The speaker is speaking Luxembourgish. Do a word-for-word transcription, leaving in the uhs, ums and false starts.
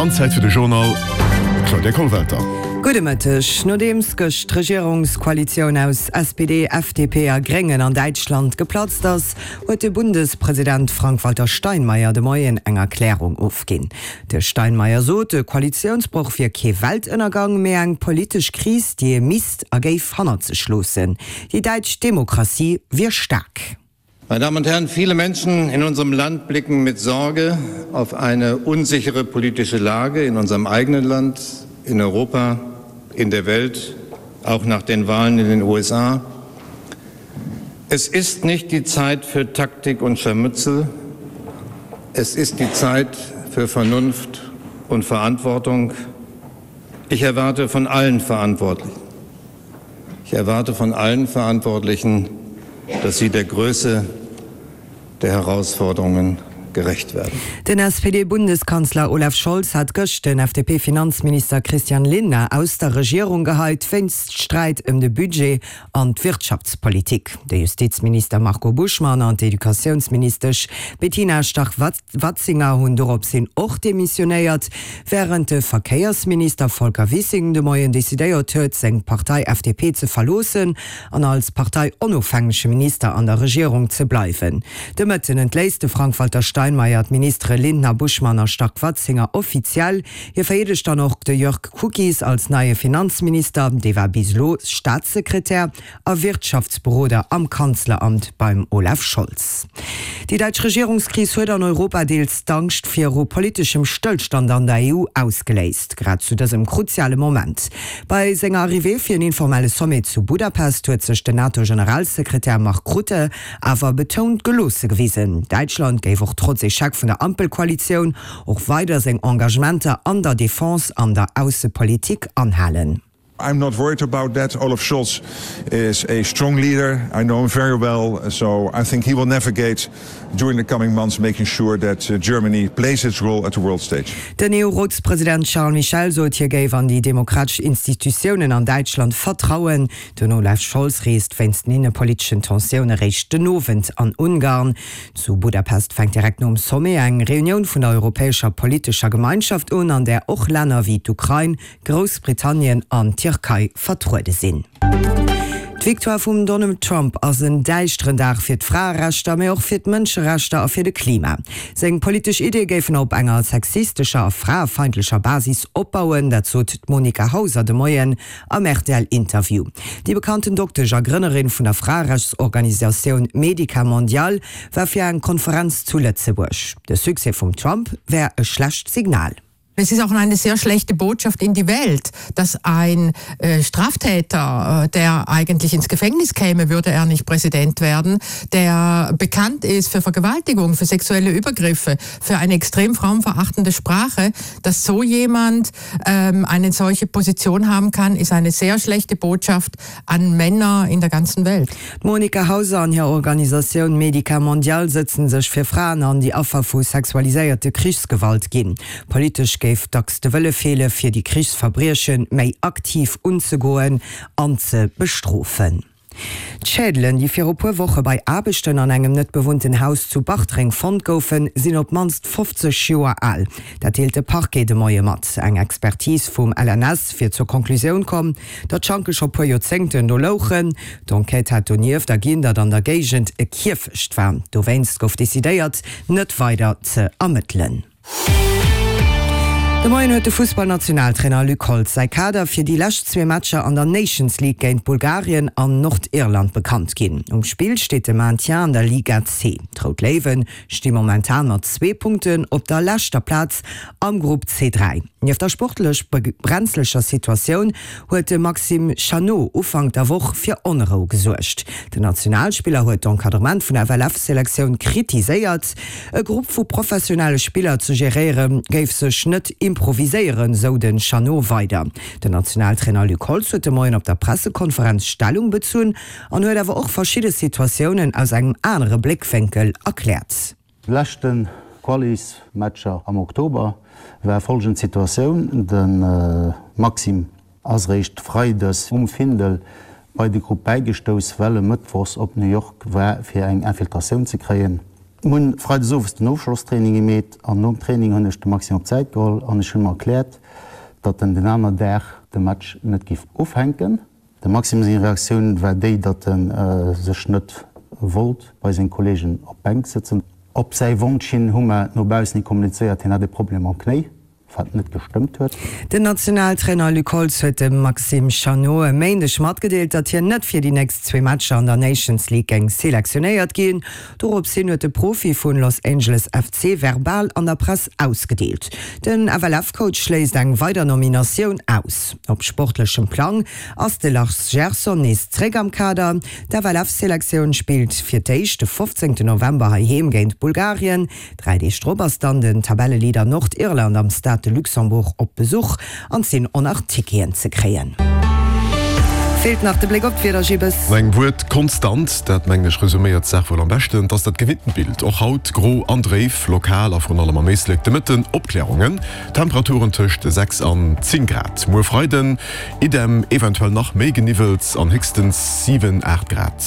An Zäit fir de Journal, Claudia Kollwelter. Gudde Mëtteg. Nodeems gëscht d'Regierungskoalitioun aus S P D, F D P a Gréngen an Däitschland geplatzt ass, huet de Bundespresident Frank-Walter Steinmeier de Moien eng Erklärung ofginn. De Steinmeier sot, de Koalitiounsbroch wier kee Weltënnergang, mee eng politesch Kris, déi ee misst a géif hannert sech loossen. Déi däitsch Demokratie wier staark. Meine Damen und Herren, viele Menschen in unserem Land blicken mit Sorge auf eine unsichere politische Lage in unserem eigenen Land, in Europa, in der Welt, auch nach den Wahlen in den U S A. Es ist nicht die Zeit für Taktik und Scharmützel. Es ist die Zeit für Vernunft und Verantwortung. Ich erwarte von allen Verantwortlichen, ich erwarte von allen Verantwortlichen, dass sie der Größe der Herausforderungen gerecht werden. Den S P D-Bundeskanzler Olaf Scholz hat gëscht den F D P-Finanzminister Christian Lindner aus der Regierung geheit, wéinst Sträit ëm de Budget an d'Wirtschaftspolitik. De Justizminister Marco Buschmann an d'Educatiounsministesch Bettina Stark-Watzinger hunn doropshin och demissionéiert, wärend de Verkéiersminister Volker Wissing de Moien decidéiert huet, seng Partei F D P ze verloossen an als parteionofhängege Minister an der Regierung ze bleiwen. De Mëtten entléisst de Frank-Walter Steinmeier d'Ministere Lindner, Buschmann a Stark-Watzinger offiziell. Hie vereedegt dann och de Jörg Kukies als neie Finanzminister, dee war bis elo Staatssekretär a Wirtschaftsberoder am Kanzleramt beim Olaf Scholz. Déi däitsch Regierungskris huet an Europa deels d'Angscht viru politeschem Stëllstand an der E U ausgeléist, grad zu dësem kruziale Moment. Bei senger Arrivée fir en informelle Sommet zu Budapest huet sech den NATO-Generalsekretär Mark Rutte awer betount geloosse gewisen. Däitschland géif och trotz Echec vun der Ampelkoalitioun och weider seng Engagementer an der Defense an der Aussepolitik anhalen. I'm not worried about that. Olaf Scholz is a strong leader. I know him very well, so I think he will navigate during the coming months, making sure that uh, Germany plays its role at the world stage. Den E U-Rotspresident Charles Michel sot, hie géif an déi demokratesch Institutiounen an Däitschland vertrauen. Den Olaf Scholz reest wéinst den innepoliteschen Tensioune réischt den Owend an Ungarn. Zu Budapest fänkt direkt nom Sommet eng Reunioun vun der europäescher politescher Gemeinschaft un, an där och Länner wéi d'Ukrain, Groussbritannien an d'Tierkei vertruede sinn. D'Victoire vum Donald Trump ass en däischteren Dag fir d'Fraerechter, mee och fir d'Mënscherechter a fir de Klima. Seng politesch Iddie géifen op enger sexistescher a fraefeindlecher Basis opbauen, dat sot d'Monika Hauser de Moien am R T L-Interview. Déi bekannten Doktesch a Grënnerin vun der Fraerechtsorganisatioun Medica Mondial war fir eng Konferenz zu Lëtzebuerg. De Succès vum Trump wär e schlecht Signal. Es ist auch eine sehr schlechte Botschaft in die Welt, dass ein äh, Straftäter, äh, der eigentlich ins Gefängnis käme, würde er nicht Präsident werden, der bekannt ist für Vergewaltigung, für sexuelle Übergriffe, für eine extrem frauenverachtende Sprache, dass so jemand ähm, eine solche Position haben kann, ist eine sehr schlechte Botschaft an Männer in der ganzen Welt. D'Monika Hauser an hir Organisatioun Medica Mondial setzen sech fir Fraen an déi Affer vu sexualiséierter Krichsgewalt ginn. Politesch géif dacks de Wëlle feelen, fir déi Krichsverbrieche méi aktiv unzegoen an ze bestrofen. D'Schädelen, déi viru puer Woche bei Aarbechten an engem net bewunnten Haus zu Bartreng fonnt goufen, sinn op d'mannst fofzeg Joer al. Dat deelt de Parquet de Moie mat. Eng Expertise vum L N S wier zur Konklusioun komm, datt d'Schanke scho puer Joerzéngten do louchen. D'Enquête hätt donieft erginn, datt an der Géigend e Kierfecht war. Dowéinst gouf decidéiert, net weider ze ermëttelen. De Moien huet de Fussballnationaltrainer Luc Holtz säi Kader fir déi lescht zwee Matcher an der Nations League géint Bulgarien an Nordirland bekannt ginn. Um Spill steet de Maintien an der Liga C. D'Rout Léiwe sti momentan mat zwee Punkten op der leschter Plaz am Grupp C dräi. Nieft der sportlech brenzleger Situatioun huet de Maxime Chanot Ufank der Woch fir Onrou gesuergt. Den Nationalspiller huet d'Encadrement vun der F L F-Selektioun kritiséiert. E Grupp vu professionelle Spiller ze geréiere géif sech net improviséieren, sou den Chanot weider. Den Nationaltrainer Luc Holtz huet de Moien op der Pressekonferenz Stellung bezunn an huet awer och verschidde Situatiounen aus engem anere Bléckwénkel erkläert. Leschten Qualis-Matcher am Oktober war folgend Situatioun: De Maxime ass réischt freides um Findel bei de Grupp bäigestouss, well e mëttwochs op New York war fir eng Infiltratioun ze kréien. Mir hunn freides owes den Ofschlosstraining gemeet an nom Training hunn ech de Maxime op d'Säit geholl an ech hunn him erkläert, datt en den aner Dag de Match net géif ufänken. Dem Maxime seng Reaktioun war déi, datt en sech net wollt bei seng Kolleegen op d'Bänk sëtzen. Op säi Wonsch hin hu mer no baussen hi kommunizéiert, hien hätt e Problem mam Knéi. Wat net gestëmmt huet. Den Nationaltrainer Luc Holtz huet dem Maxime Chanot e Méindeg matgedeelt, datt hien net fir déi nächst zwee Matcher an der Nations League géing selektionéiert ginn. Dorops hin huet de Profi vun Los Angeles F C verbal an der Press ausgedeelt. Den F L F-Coach schléisst eng weider Nominatioun aus. Op sportlechem Plang ass de Lars Gerson nees zréck am Kader. D'F L F-Selektioun spillt fir d'éischt de fofzéngten November heiheem géint Bulgarien. Dräi Deeg drop ass dann den Tabelleleader Nordirland am Stade de Luxembourg op Besuch an et sinn och nach Ticketen ze kréien. Feelt nach de Bléck op d'Wieder, Gibes. An engem Wuert, konstant, dat mengen ech resuméiert d'Saach wuel am beschten. Et ass dat gewinntent Bild, och haut gro an dréif, lokal a vrun allem am Éislek de Mëtten Opklärungen, Temperaturen tëscht sechs an zéng Grad. Muer Freiden idem, eventuell nach méi Geniwwels an héchstens siwen, aacht Grad.